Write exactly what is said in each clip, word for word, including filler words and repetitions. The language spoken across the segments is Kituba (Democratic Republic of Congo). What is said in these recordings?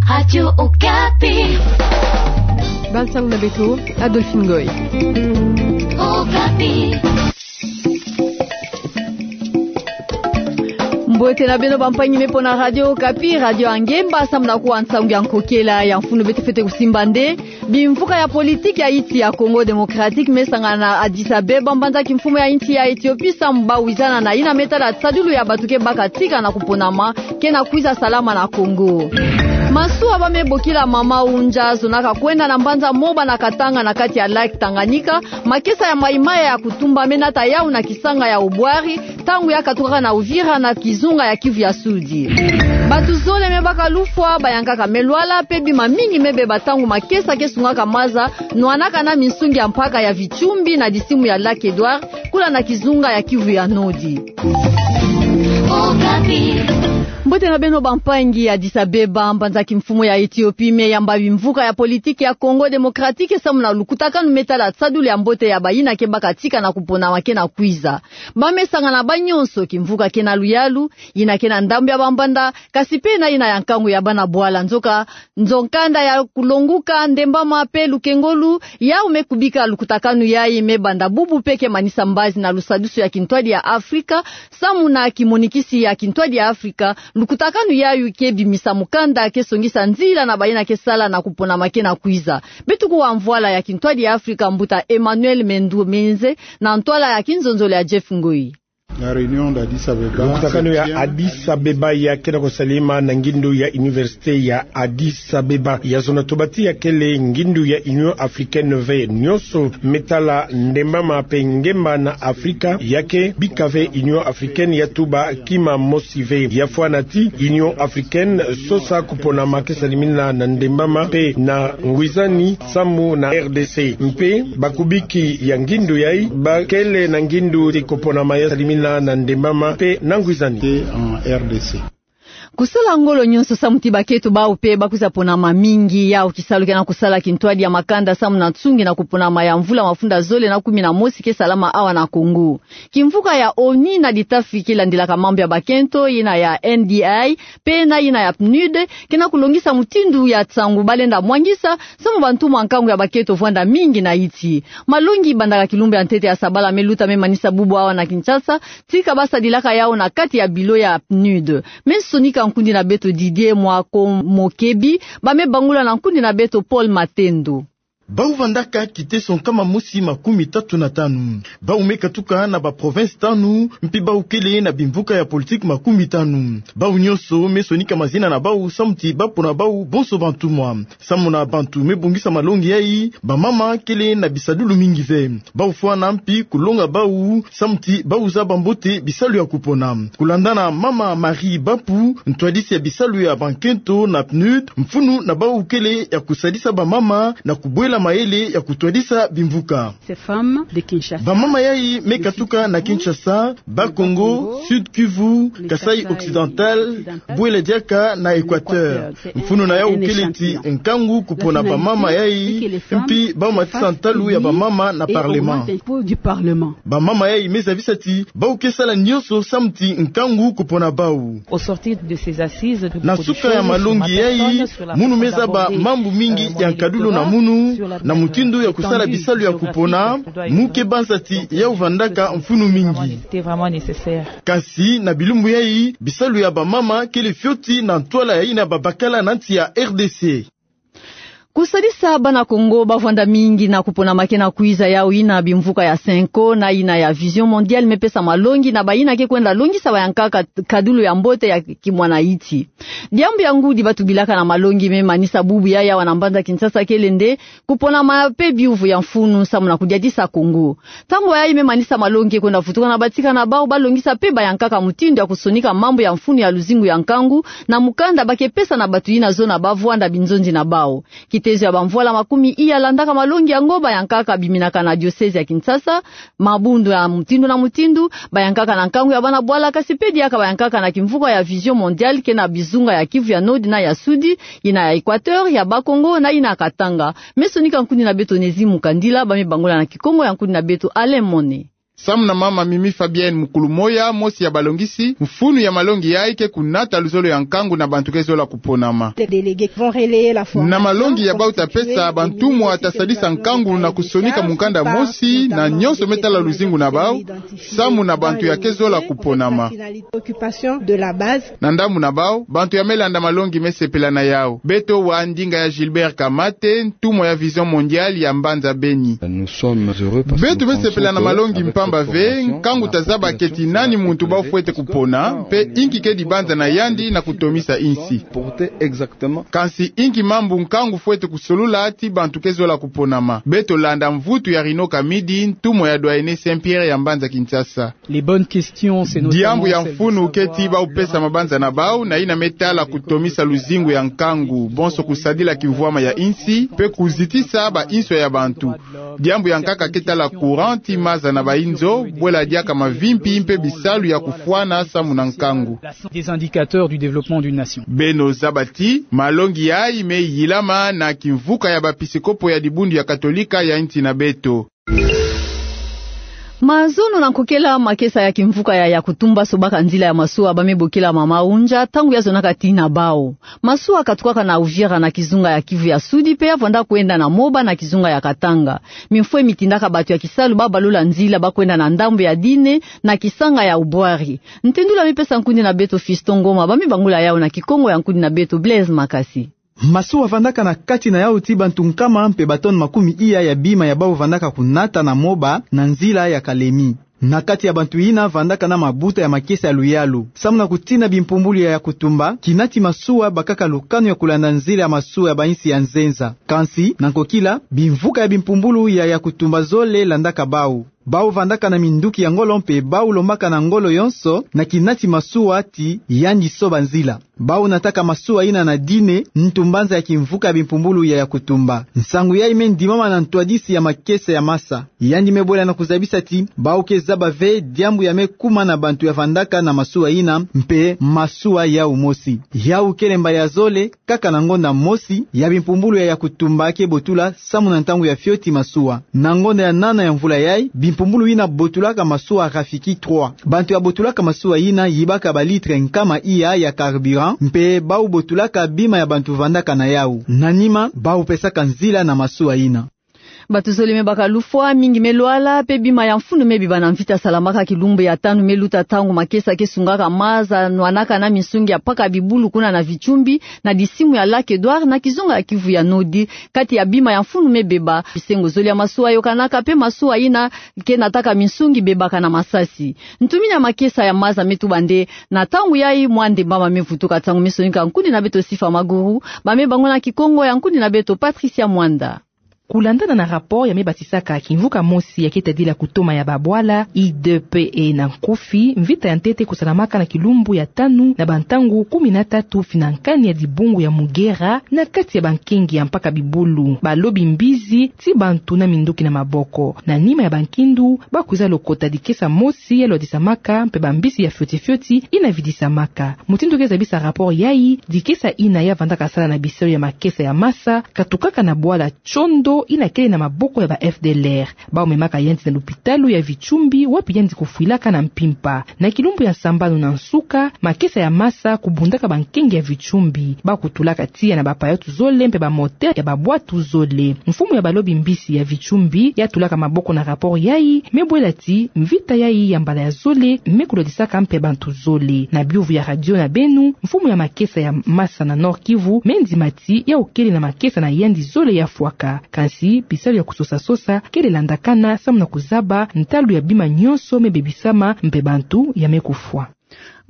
Radio Okapi. Bal nsangu na beto, Adolphine Ngoy. Okapi. Mbote na beno bampangi me mpo na Radio Okapi, radio ya ngemba, samu na kuwa nsangu ya nkokela ya mfunu beto fwete kusimba nde bimvuka ya politiki ya insi ya Congo Démocratique me sangana na Addis Abeba, mbanza kimfumu ya insi ya Éthiopie, samu bawizana na yina me tala tisadulu ya bato ke baka tika na kuponama ke na kwiza salama na Congo. Masuwa ba me bokila Mama Unja zonaka kwenda na mbanza Moba na Katanga na kati ya lac Tanganyika, makesa ya mayi-mayi ya kutumba me nata yau na kisanga ya Obwari, ntangu ya katukaka na Uvira na kizunga ya Kivu ya Sudi. Bato zole me baka lufwa, bayankaka me lwala, mpe bima mingi me beba ntangu makesa ke sungaka maza, nwanaka na minsungi ya mpaka ya Vichumbi na disimu ya lac Edouard, kula na kizunga ya Kivu ya Nodi. Mbote na beno bampangi. Addis Abeba, mbanza kimfumu ya Éthiopie, me yamba bimvuka ya politiki ya Congo Démocratique samu na lukutakanu me tala tisadulu ya mbote ya bayina ke baka tika na kuponama ke na kwiza. Ba me sangana ba nyonso, kimvuka ke na luyalu, yina ke na ndambu ya bambanda, kasi mpe na yina ya nkangu ya bana bwala. Nzoka, nzo-nkanda ya kulonguka, ndembama mpe lukengolo, yau me kubika lukutakanu yayi me banda bubu mpe ke manisa mbazi na lusadusu ya kintwadi ya Afrika, samu na kimonikisi ya kintwadi ya Afrika, lukutakanu yayi ke bimisa mukanda ke songisa nzila na bayina ke sala na kuponama ke na kwiza. Beto kuwa mvwala ya kintwadi ya Afrika, mbuta Emmanuel Mendu Menze, na ntwala ya kinzonzolo ya Jeff Ngoyi. La réunion d'Addis Abeba. Lukutakanu ya Addis Abeba ya ke na kusalama na ngindu ya Université ya Addis Abeba. Ya zona tobati ya kele ngindu ya Union Africaine ve. Nyonso me tala ndembama mpe ngemba na Afrika ya ke bika ve Union Africaine ya tuba kima mosi ve. Ya fwana ti Union Africaine sosa kuponama ke salimina na ndembama mpe na ngwizani samu na R D C. Mpe bakubiki ya ngindu yayi ba kele na ngindu ti kuponama ya salimina na ndembama mpe na ngwizani. Te en R D C. Kusala ngolo nyonso samu ti bakento bau mpe ba kwiza ponama mingi, yau kisalu ke na kusala kintwadi ya makanda samu na nsungi na kuponama ya mvula mafunda zole na kumi na mosi ke salama awa na Congo. Kimvuka ya ONU na litafi ke landilaka mambu ya bakento, yina ya N D I, mpe na yina ya PNUD, ke na kulongisa mutindu ya nsangu ba lenda mwangisa, samu bantumwa nkangu ya bakento vwanda mingi na insi. Malongi bandaka kilumbu ya ntete ya sabala me luta me manisa bubu awa na Kinshasa, tika ba sadilaka yau na kati ya bilo ya PNUD. Me sonika nkundi na beto Didier Mwako Mokebi, ba me bangula na nkundi na beto Paul Matendo. Bau vandaka kiteso nkama mosi makumi tatu na tanu. Bau me katuka na ba province tanu, mpi bau kele na bimvuka ya politiki makumi tanu. Bau nyonso me sonika mazina na bau samu ti ba pona bau bonso bantumwa. Samu na bantu me bongisa malongi yayi, bamama kele na bisadulu mingi ve. Bau fwana mpi kulonga bau samu ti bau zaba mbote bisalu ya kupona. Kulanda na Mama Marie Bapu, ntwadisi ya bisalu ya bankento na PNUD, mfunu na bau kele ya kusadisa bamama na kubwela mayele ya kutwadisa bimvuka. Ces femmes de Kinshasa. Bamama yayi me katuka na Kinshasa, Bas-Congo, Sud-Kivu, Kasaï occidental, bwela diaka na Équateur. Mfunu na yau kele ti nkangu kupona bamama yayi, mpi bau matisa ntalu ya bamama na parlement. Bamama yayi me zabisa ti bau ke sala nyonso samu ti nkangu kupona bau. Au sortir de ces assises, nous... Na suka ya malongi yayi, munu me zaba mambu mingi ya nkadulu na munu, na mutindu ya kusala bisalu ya kupona, mu ke banza ti yau vandaka mfunu mingi. C'était vraiment nécessaire. Kasi na bilumbu yayi, bisalu ya bamama kele fioti na ntwala ya yina babakala na nsi ya R D C. Kusadisa bana Kongo ba vwanda mingi na kuponama ke na kwiza, yau yina bimvuka ya Cenco na yina ya Vision Mondiale me pesa malongi na bayina ke kwenda longisa bayankaka nkadulu ya mbote ya kimwana insi. Diambu ya ngudi ba tubilaka na malongi me manisa bubu yayi awa na mbanza Kinshasa kele nde kuponama mpe biyuvu ya mfunu samu na kudiatisa Kongo. Ntangu yayi me manisa malongi ke kwenda vutuka na batika na bau, ba longisa mpe bayankaka mutindu ya kusonika mambu ya mfunu ya luzingu ya nkangu na mukanda ba ke pesa na batu yina zona ba vwanda binzonzi na bau. Kitezo ya bamvwala makumi iya landaka malongi yango, bayankaka biminaka na diocèse ya Kinshasa, mabundu ya mutindu na mutindu, bayankaka na nkangu ya bana bwala, kasi mpe diaka bayankaka na kimvuka ya Vision Mondiale ke na bizunga ya Kivu ya Nord na ya Sud, yina ya Équateur, ya Bas-Congo na yina ya Katanga. Me sonika nkundi na beto Onésime Mukandila, ba me bangula na Kikongo ya nkundi na beto Alain Mone. Samu na mama Mimi Fabienne, mukulu moya mosi ya balongisi, mfunu ya malongi yayi ke kunata luzolo ya nkangu na bantu ke zola kuponama. Na malongi ya bau ta pesa, bantumwa ta sadisa nkangu na kusonika mukanda mosi na nyonso me tala luzingu na bau, samu na bantu ya ke zola kuponama. Na ndambu na bau, bantu ya me landa malongi me sepela na yau. Beto wa ndinga ya Gilbert Kamate, ntumwa ya Vision Mondiale ya mbanza Beni. Beto me sepela na malongi mpamba ve, nkangu ta zaba keti nani muntu bau fwete kupona, mpe inki ke dibanza na yandi na kutomisa insi. Kansi inki mambu nkangu fwete kusolula ti bantu ke zola kuponama. Beto landa mvutu ya Rino Kamidi, ntumwa ya doyenné Saint-Pierre ya mbanza Kinshasa. Diambu ya mfunu ke ti bau pesa mabanza na bau na yina me tala kutomisa luzingu ya nkangu, bonso kusadila kimvwama ya insi, mpe kuzitisa ba inso ya bantu. Diambu ya nkaka ke tala courant ti maza na ba inzo, bwela diaka mavimpi mpe bisalu ya kufwana samu na nkangu. Beno zaba ti malongi yayi me yilama na kimvuka ya bapisikopo ya dibundu ya Katolika ya insi na beto. Mazono na nkokela makesa ya kimvuka ya Yakutumba sobaka nzila ya masuwa ba me bokila Mama Unja, ntangu ya zonaka tii na bau. Masuwa katukaka na Uvira na kizunga ya Kivu ya Sudi, mpe ya vwanda kwenda na Moba na kizunga ya Katanga. Mimfwe mi tindaka bato ya kisalu ba balula nzila ba kwenda na ndambu ya Dine na kisanga ya Ubwari. Ntendula mi pesa nkundi na beto Fiston Ngoma, ba me bangula yau na Kikongo ya nkundi na beto Blaise Makasi. Masuwa vandaka na kati na yau ti bantu nkama mpe ba tonnes makumi iya ya bima ya bau vandaka kunata na Moba na nzila ya Kalemi. Na kati ya bantu yina vandaka na mabuta ya makesa ya luyalu. Samu na kutina bimpumbulu ya Yakutumba, kinati masuwa bakaka lukanu ya kulanda nzila ya masuwa ya ba insi ya nzenza. Kansi, na nkokila, bimvuka ya bimpumbulu ya Yakutumba zole landaka bau. Bau vandaka na minduki ya ngolo mpe bau lombaka na ngolo yonso na kinati masuwa ti yandi soba nzila. Bau nataka masuwa yina na Dine, ntu mbanza ya kimvuka ya bimpumbulu ya Yakutumba. Nsangu yayi me ndimama na ntwadisi ya makesa ya masa. Yandi me bwela na kuzabisa ti bau ke zaba ve diambu ya me kuma na bantu ya vandaka na masuwa yina mpe masuwa yau mosi. Yau kele mbala ya zole, kaka na ngonda mosi ya bimpumbulu ya Yakutumba ke botula samu na ntangu ya fioti masuwa. Na ngonda ya nana ya mvula yayi, bimpumbulu yina botulaka masuwa Rafiki trois. Bantu ya botulaka masuwa yina yibaka ba litre nkama iya ya carburant, mpe bau botulaka bima ya bantu vandaka na yau. Na nima, bau pesaka nzila na masuwa yina. Bato zole me baka lufwa, mingi me lwala, mpe bima ya mfunu me beba na mvita salamaka kilumbu ya tanu me luta ntangu makesa ke sungaka maza nwanaka na minsungi ya mpaka bibulu kuna na Vichumbi, na disimu ya Lac Edouard, na kizunga ya Kivu ya Nodi. Kati ya bima ya mfunu me beba, bisengo zole ya masuwa yokanaka, mpe masuwa yina ke nataka minsungi bebaka na masasi. Ntumini ya makesa ya maza me tuba nde, na ntangu yayi mwa ndembama me vutuka ntangu me sonika nkundi na beto Sifa Maguru, ba me bangula na Kikongo ya nkundi na beto Patricia Mwanda. Kulandana na rapport ya me batisaka kimvuka mosi ya ke tadila kutoma ya babwala, I D P E na nkufi, mvita ya ntete kusalamaka na kilumbu ya tanu na bantangu kumi na tatu fina nkani ya dibungu ya Mugera, na kati ya bankengi ya mpaka bibulu, balobi mbizi, ti bantu na minduki na maboko. Na nima ya bankindu, ba kwiza lokota dikesa mosi ya lwadisamaka, mpe bambizi ya fioti fioti yina vidisamaka. Mutindu ke zabisa rapport yayi, dikesa yina ya vandaka sala na bisalu ya makesa ya masa, katukaka na bwala Chondo yina kele na maboko ya ba F D L R. Bau memaka yandi na lupitalu ya Vichumbi, wapi yandi kufwilaka na mpimpa. Na kilumbu ya sambanu na nsuka, makesa ya masa kubundaka bankengi ya Vichumbi. Ba kutulaka tiya na ba payote zole mpe ba moteur ya babwatu zole. Mfumu ya balobi mbizi ya Vichumbi, ya tulaka maboko na rapport yayi, me bwela ti mvita yayi ya mbala ya zole me kulwadisaka mpe bantu zole. Na biyuvu ya radio na beno, mfumu ya makesa ya masa na Nord-Kivu, me ndima ti yau kele na makesa na yandi zole ya fwaka. Kansi, bisalu ya kusosa-sosa kele landakana samu na kuzaba ntalu ya bima nyonso me bebisama mpe bantu ya me kufwa.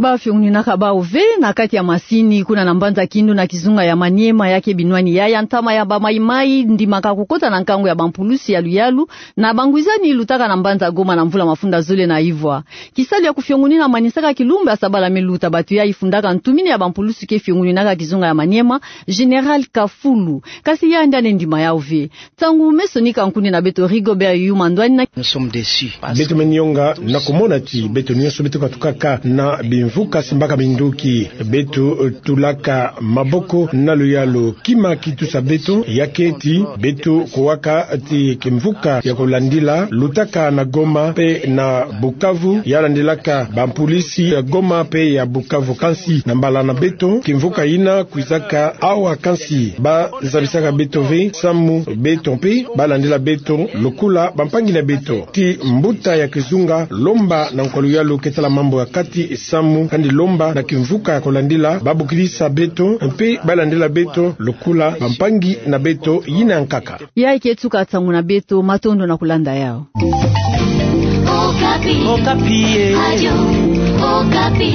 Ba fiongunaka bau ve na kati ya masini kuna na mbanza Kindu na kizunga ya Maniema, ya ke binwani yayi ntama ya ba Maï-Maï ndimaka kukota na nkangu ya bampulusi ya luyalu na bangwizani lutaka na mbanza Goma na mvula mafunda zole na ivwa. Kisalu ya kufiongunina manisaka kilumbu ya sabala me luta. Bato yayi fundaka ntumini ya bampulusi ke fionguninaka kizunga ya Maniema, Général Kafulu. Kasi yandi ane ndima yau ve. Ntangu me sonika nkundi na beto Rigobert Yuma Ndwani na Beto me nionga na kumona ti beto nyonso beto katukaka na bi mvuka simbaka minduki. Beto tulaka maboko na luyalu kima ki tusa beto, ya keti beto kuwaka ti kimvuka ya kulandila lutaka na Goma mpe na Bukavu, ya landilaka bampulisi ya Goma mpe ya Bukavu. Kansi na mbala na beto, kimvuka yina kwizaka awa, kansi bazabisaka beto ve samu beto mpe balandila beto lokola bampangi na beto. Ti mbuta ya kizunga Lomba na nkwa luyalu ke tala mambu ya kati samu kandi Lomba na kimvuka ya kulandila babokilisa beto mpe balandila beto lokola bampangi na beto yina nkaka. Yayi ke tuka nsangu na beto, matondo na kulanda yawu. Okapi. Okapi, eh. Radio Okapi.